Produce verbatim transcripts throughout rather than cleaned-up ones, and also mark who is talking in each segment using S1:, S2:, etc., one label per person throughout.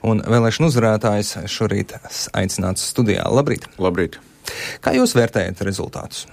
S1: un vēlēšanu uzvarētājs šorīt aicināts studijā. Labrīt!
S2: Labrīt!
S1: Kā jūs vērtējat rezultātus?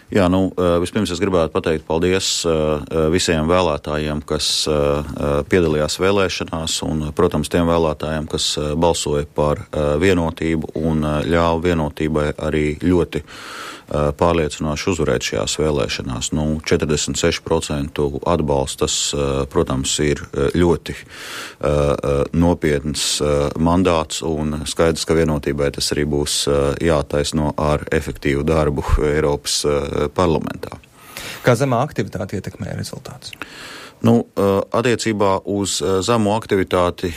S2: Jā, nu, vispirms es gribētu pateikt paldies visiem vēlētājiem, kas piedalījās vēlēšanās, un, protams, tiem vēlētājiem, kas balsoja par vienotību un ļāva vienotībai arī ļoti pārliecinoši uzvarēt šajās vēlēšanās. Nu, četrdesmit seši procenti atbalstas, protams, ir ļoti nopietns mandāts, un skaidrs, ka vienotībai tas arī būs jātaisno ar efektīvu darbu Eiropas parlamentā.
S1: Kā zemā aktivitāte ietekmē rezultātus?
S2: Nu, attiecībā uz zemo aktivitāti,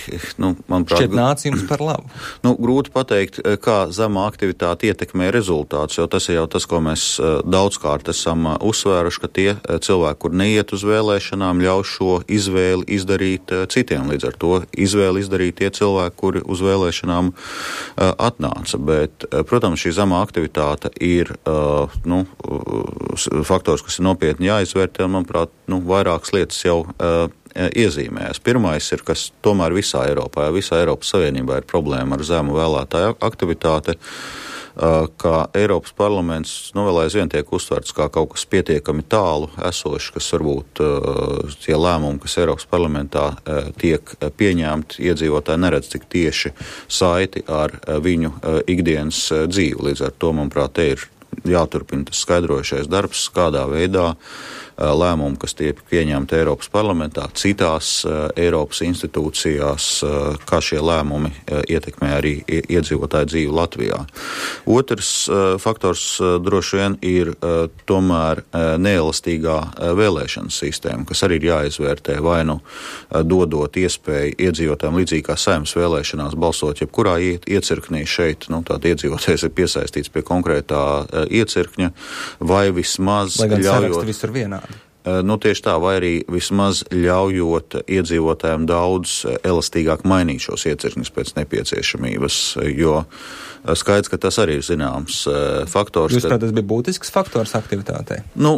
S2: nu, manuprāt,
S1: šķiet nāc jums par labu.
S2: Nu, grūti pateikt, kā zemā aktivitāte ietekmē rezultātus, jo tas ir jau tas, ko mēs daudzkārt esam uzsvēruši, ka tie cilvēki, kur neiet uz vēlēšanām, ļauj šo izvēli izdarīt citiem. Līdz ar to izvēli izdarīt tie cilvēki, kuri uz vēlēšanām atnāca. Bet, protams, šī zemā aktivitāte ir nu, faktors, kas ir nopietni jāizvērtē, un, manuprāt, nu, vairākas lietas jau uh, iezīmējas. Pirmais ir, kas tomēr visā Eiropā, visā Eiropas Savienībā ir problēma ar zemu vēlētāju aktivitāti, uh, ka Eiropas parlaments nu, vēl aizvien tiek uztverts kā kaut kas pietiekami tālu esoši, kas varbūt uh, tie lēmumi, kas Eiropas parlamentā uh, tiek pieņemti, iedzīvotāji neredz tik tieši saiti ar uh, viņu uh, ikdienas uh, dzīvi. Līdz ar to, manuprāt, te ir jāturpina tas skaidrojušais darbs, kādā veidā lēmumi, kas tiek pieņemti Eiropas parlamentā, citās uh, Eiropas institūcijās, uh, kā šie lēmumi uh, ietekmē arī iedzīvotāju dzīvi Latvijā. Otrs uh, faktors uh, droši vien ir uh, tomēr uh, neelastīgā uh, vēlēšanas sistēma, kas arī ir jāizvērtē vai nu uh, dodot iespēju iedzīvotājiem līdzīgi kā Saeimas vēlēšanās balsot jebkurā iecirknī šeit, nu tātad iedzīvotājs ir piesaistīts pie konkrētā uh, iecirkņa, vai vismaz
S1: lai gan
S2: ļaujot...
S1: saraksti visur vienādi.
S2: Nu, tieši tā, vai arī vismaz ļaujot iedzīvotājiem daudz elastīgāk mainīt šos iecirkņus pēc nepieciešamības, jo skaidrs, ka tas arī ir zināms faktors.
S1: Jūs, prāt, tas bija būtisks faktors aktivitātei?
S2: Nu,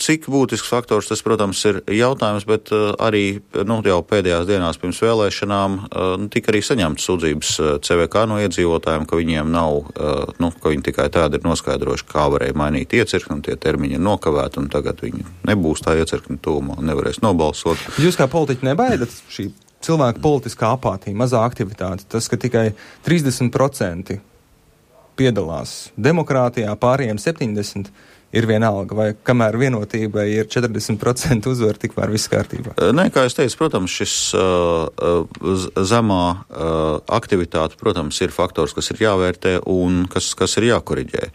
S2: cik būtisks faktors tas, protams, ir jautājums, bet arī nu, jau pēdējās dienās pirms vēlēšanām nu, tika arī saņemts sūdzības C V K no iedzīvotājiem, ka viņiem nav, nu, ka viņi tikai tādi ir noskaidrojuši, kā varēja mainīt iecirkni, un tie termiņi ir nokavēti, un tagad viņi nebūs tā iecirkņa tūmā un nevarēs nobalsot.
S1: Jūs kā politiķi nebaidat šī cilvēka politiskā apātija, mazā aktivitāte, tas, ka tikai trīsdesmit procenti piedalās demokrātijā, pārējiem septiņdesmit ir vienalga, vai kamēr vienotībai ir četrdesmit procenti uzvar, tikmēr viss kārtībā?
S2: Nē, kā es teicu, protams, šis uh, zemā uh, aktivitāte, protams, ir faktors, kas ir jāvērtē un kas, kas ir jākoriģē.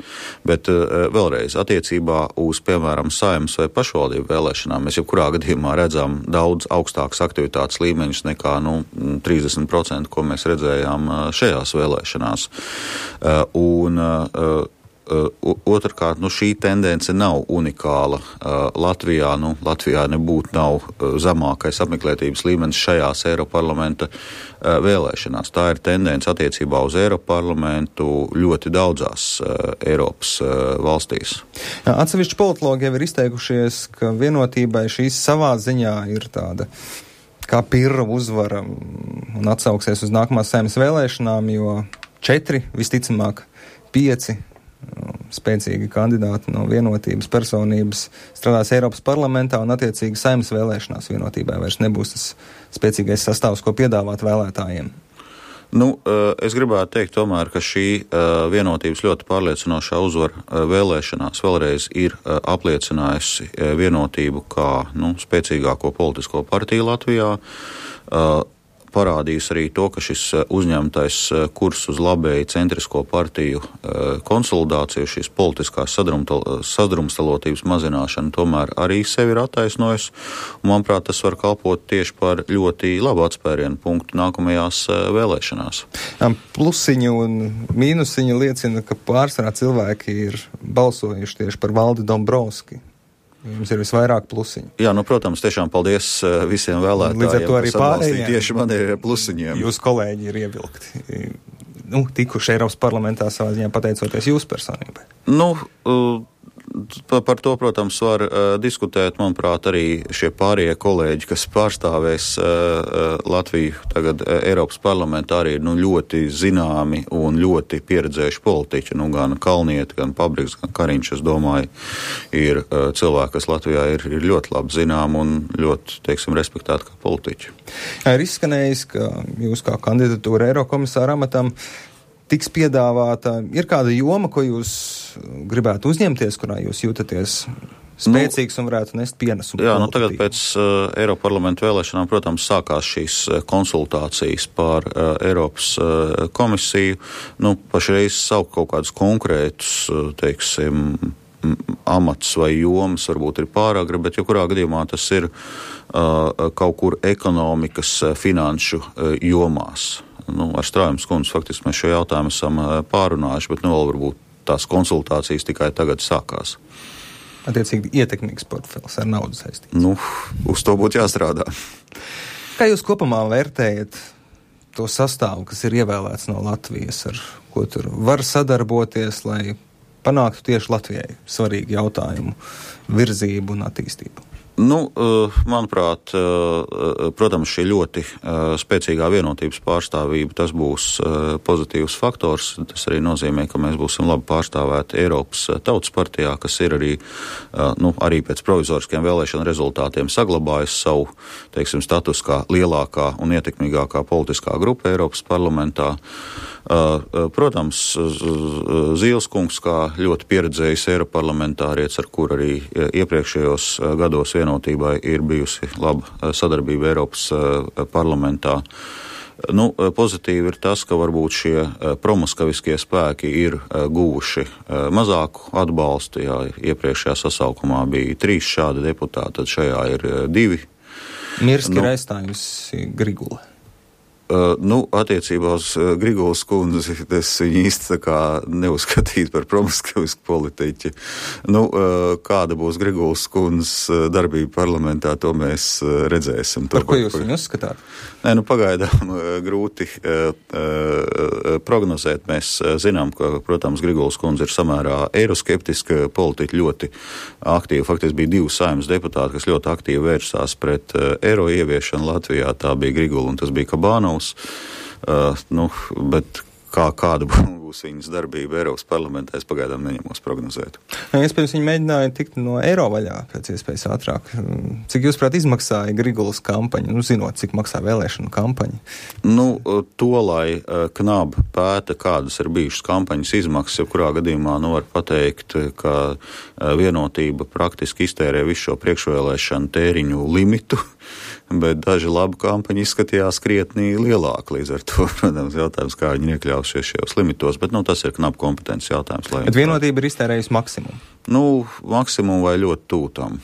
S2: Bet uh, vēlreiz, attiecībā uz, piemēram, Saeimas vai pašvaldību vēlēšanām, mēs jebkurā gadījumā redzam daudz augstākas aktivitātes līmeņus nekā nu, trīsdesmit procenti, ko mēs redzējām uh, šajās vēlēšanās. Uh, un uh, Otrkārt, nu, šī tendence nav unikāla Latvijā. Nu, Latvijā nebūtu nav zemākais apmeklētības līmenis šajās Eiroparlamenta vēlēšanās. Tā ir tendence attiecībā uz Eiroparlamentu ļoti daudzās Eiropas valstīs.
S1: Jā, atsevišķi politologi jau ir izteikušies, ka vienotībai šīs savā ziņā ir tāda kā pirra uzvara un atsauksies uz nākamās Saeimas vēlēšanām, jo četri, visticamāk, pieci spēcīgi kandidāti no vienotības personības strādās Eiropas parlamentā un attiecīgi Saeimas vēlēšanās vienotībai vairs nebūs tas spēcīgais sastāvs, ko piedāvāt vēlētājiem.
S2: Nu, es gribētu teikt tomēr, ka šī vienotības ļoti pārliecinošā uzvara vēlēšanās vēlreiz ir apliecinājusi vienotību kā nu, spēcīgāko politisko partiju Latvijā. Parādījis arī to, ka šis uzņemtais kurs uz labēji centrisko partiju konsolidāciju, šīs politiskās sadrumstalotības mazināšana tomēr arī sevi ir attaisnojis. Un, manuprāt, tas var kalpot tieši par ļoti labu atspērienu punktu nākamajās vēlēšanās.
S1: Plusiņu un mīnusiņu liecina, ka pārsvarā cilvēki ir balsojuši tieši par Valdi Dombrovski. Jums ir visvairāk plusiņu.
S2: Jā, nu, protams, tiešām paldies visiem vēlētājiem.
S1: Līdz ar to arī pārējiem.
S2: Tieši man ir plusiņiem.
S1: Jūs kolēģi ir ievilkti. Nu, tikuši Eiropas parlamentā savā ziņā pateicoties jūsu personībai.
S2: Nu, Par to, protams, var uh, diskutēt, manuprāt, arī šie pārējie kolēģi, kas pārstāvēs uh, Latviju tagad uh, Eiropas parlamentā, arī ir nu, ļoti zināmi un ļoti pieredzējuši politiķi. Nu, gan Kalnieti, gan Pabriks, gan Kariņš, es domāju, ir uh, cilvēki, kas Latvijā ir, ir ļoti labi zinām un ļoti, teiksim, respektēti kā politiķi.
S1: Jā, ir izskanējis, ka jūs kā kandidatūra Eirokomisāra amatam tiks piedāvāta. Ir kāda joma, ko jūs gribētu uzņemties, kurā jūs jūtaties spēcīgs nu, un varētu nest pienesumu?
S2: Jā, nu tagad pēc uh, Eiroparlamenta vēlēšanām, protams, sākās šīs konsultācijas par uh, Eiropas uh, komisiju. Nu, pašreiz saukt kaut kādus konkrētus, uh, teiksim, amats vai jomas varbūt ir pāragri, bet jebkurā gadījumā tas ir uh, kaut kur ekonomikas, finanšu uh, jomās. Nu, ar Strājums kundzi faktiski mēs šo jautājumu esam pārunājuši, bet nu vēl varbūt tās konsultācijas tikai tagad sākās.
S1: Attiecīgi ietekmīgs portfels ar naudu saistīts.
S2: Nu, uz to būtu jāstrādā.
S1: Kā jūs kopumā vērtējat to sastāvu, kas ir ievēlēts no Latvijas, ar ko tur var sadarboties, lai panāktu tieši Latvijai svarīgu jautājumu virzību un attīstību?
S2: Nu, manuprāt, protams, šī ļoti spēcīgā vienotības pārstāvība, tas būs pozitīvs faktors. Tas arī nozīmē, ka mēs būsim labi pārstāvēti Eiropas Tautas partijā, kas ir arī, nu, arī pēc provizoriskiem vēlēšanu rezultātiem saglabājis savu, teiksim, status kā lielākā un ietekmīgākā politiskā grupa Eiropas parlamentā. Protams, Zīleskungs, kā ļoti pieredzējis Eiroparlamentārietis, ar kur arī iepriekšējos gados vienotībai ir bijusi laba sadarbība Eiropas parlamentā. Nu, pozitīvi ir tas, ka varbūt šie promoskaviskie spēki ir guvuši mazāku atbalstu. Jā, iepriekšējā sasaukumā bija trīs šādi deputāti, tad šajā ir divi.
S1: Mirski
S2: nu,
S1: ir aizstājusi Grigula.
S2: Uh, nu, attiecībā uz uh, Grigulas kundzi, es viņu īsti tā kā neuzskatītu par promiskuisku politiķi. Nu, uh, kāda būs Grigulas kundzes uh, darbība parlamentā, to mēs uh, redzēsim.
S1: Par
S2: to,
S1: ko jūs viņu uzskatāt?
S2: Nē, nu, pagaidām uh, grūti uh, uh, prognozēt. Mēs uh, zinām, ka, protams, Grigulas kundze ir samērā eiroskeptiska politiķa, ļoti aktīva. Faktiski bija divi saimnes deputāti, kas ļoti aktīvi vērsās pret uh, eiro ieviešanu Latvijā. Tā bija Grigula un tas bija Kabānovs. Uh, nu, bet kā, kāda būs viņas darbība Eiropas parlamentā, es pagaidām neņemos prognozēt.
S1: Iespējams, viņi mēģināja tikt no eiro vaļā pēc iespējas ātrāk. Cik jūs, prāt, izmaksāja Grigulas kampaņa, nu, zinot, cik maksā vēlēšanu kampaņa?
S2: Nu, to, lai uh, Knab pēta, kādas ir bijušas kampaņas izmaksas, jebkurā gadījumā, nu, var pateikt, ka uh, vienotība praktiski iztērē visu šo priekšvēlēšanu tēriņu limitu, bet daži labu kampaņu izskatījās krietnī lielāki. Līdz ar to, protams, jautājums, kā viņi iekļausies šajos limitos, bet, nu, tas ir Knab kompetences jautājums.
S1: Bet vienotība ir iztērējusi maksimumu?
S2: Nu, maksimumu vai ļoti tūtam.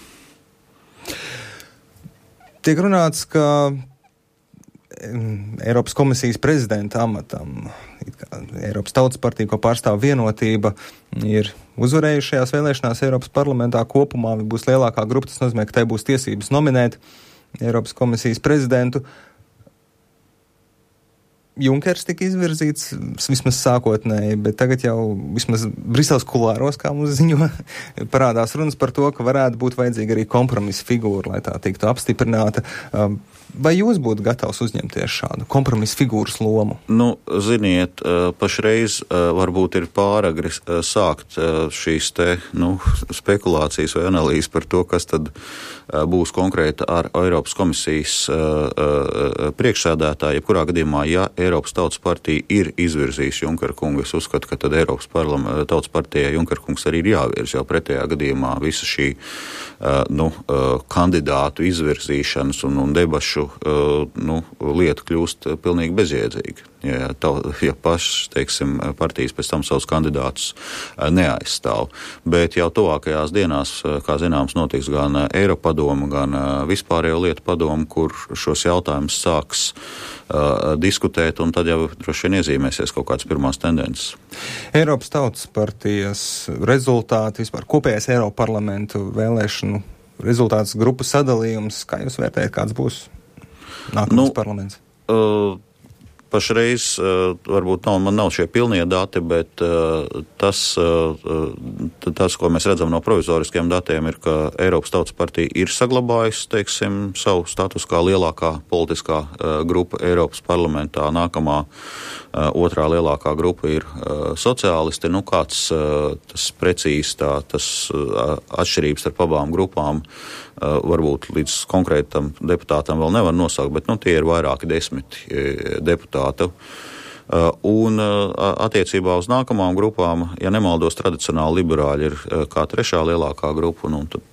S1: Tiek runāts, ka Eiropas komisijas prezidenta amatam, Eiropas Tautas partija, ko pārstāv vienotība, ir uzvarējušajās vēlēšanās Eiropas parlamentā kopumā, būs lielākā grupa, tas nozīmē, ka tai būs tiesības nominēt Eiropas komisijas prezidentu. Junkers tika izvirzīts vismaz sākotnēji, bet tagad jau vismaz Briseles kulāros, kā mums ziņo, parādās runas par to, ka varētu būt vajadzīga arī kompromisa figūra, lai tā tiktu apstiprināta. Vai jūs būtu gatavs uzņemties šādu kompromisa figūras lomu?
S2: Nu, ziniet, pašreiz varbūt ir pāragri sākt šīs te, nu, spekulācijas vai analīzes par to, kas tad būs konkrēti ar Eiropas komisijas priekšsēdētāju. Jebkurā gadījumā, ja Eiropas Tautas partija ir izvirzījusi Junkera kungu, es uzskatu, ka tad Eiropas Tautas partijai Junkera kungs arī ir jāvirz, jo pretējā gadījumā visa šī nu, kandidātu izvirzīšanas un, un debašu nu, lieta kļūst pilnīgi bezjēdzīga. Ja, tā, ja pašas, teiksim, partijas pēc tam savus kandidātus neaizstāv. Bet jau tuvākajās dienās, kā zināms, notiks gan Eiropadoma, gan vispārējo lietu padoma, kur šos jautājumus sāks uh, diskutēt, un tad jau droši vien iezīmēsies kaut kādas pirmās tendences.
S1: Eiropas Tautas partijas rezultāti, vispār kopējais Eiroparlamentu vēlēšanu rezultāts, grupu sadalījums, kā jūs vērtējat, kāds būs nākamais nu, parlaments?
S2: Uh, pašreiz varbūt nav, man nav šie pilnie dati, bet tas, tas, ko mēs redzam no provizoriskiem datiem, ir, ka Eiropas Tautas partija ir saglabājusi, teiksim, savu status kā lielākā politiskā grupa Eiropas parlamentā. Nākamā otrā lielākā grupa ir sociālisti. Nu, kāds tas precīzi tā, tas atšķirības starp abām grupām varbūt līdz konkrētam deputātam vēl nevar nosaukt, bet nu, tie ir vairāki desmiti deputāti. Un attiecībā uz nākamām grupām, ja nemaldos, tradicionāli liberāļi ir kā trešā lielākā grupa, nu, tad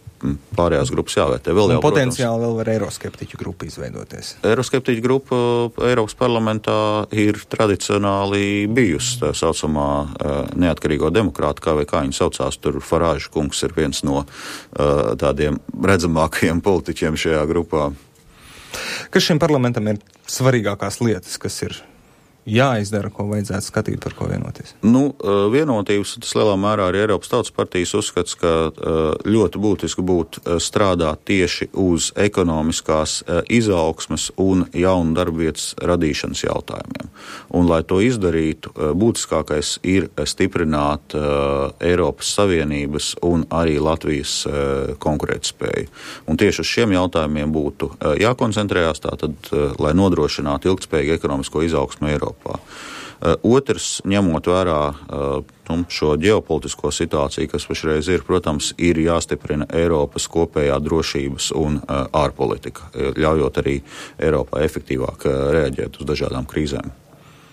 S2: pārējās grupas jāvērtē. Vēl jau,
S1: potenciāli
S2: protams,
S1: vēl var eiroskeptiķu grupa izveidoties.
S2: Eiroskeptiķu grupa Eiropas parlamentā ir tradicionāli bijusi tā saucamā neatkarīgo demokrāta, kā vai kā viņi saucās. Tur Farāža kungs ir viens no tādiem redzamākajiem politiķiem šajā grupā.
S1: Kas šim parlamentam ir svarīgākās lietas, kas ir jāizdara, ko vajadzētu skatīt, par ko vienoties?
S2: Nu, vienotības, tas lielā mērā arī Eiropas Tautas partijas uzskats, ka ļoti būtiski būtu strādāt tieši uz ekonomiskās izaugsmes un jaunu darbvietas radīšanas jautājumiem. Un, lai to izdarītu, būtiskākais ir stiprināt Eiropas Savienības un arī Latvijas konkurētspēju. Un tieši uz šiem jautājumiem būtu jākoncentrējās, tātad, lai nodrošinātu ilgtspējīgu ekonomisko izaugsmu Eiropā. Otrs, ņemot vērā šo ģeopolitisko situāciju, kas pašreiz ir, protams, ir jāstiprina Eiropas kopējā drošības un ārpolitika, ļaujot arī Eiropā efektīvāk reaģēt uz dažādām krīzēm.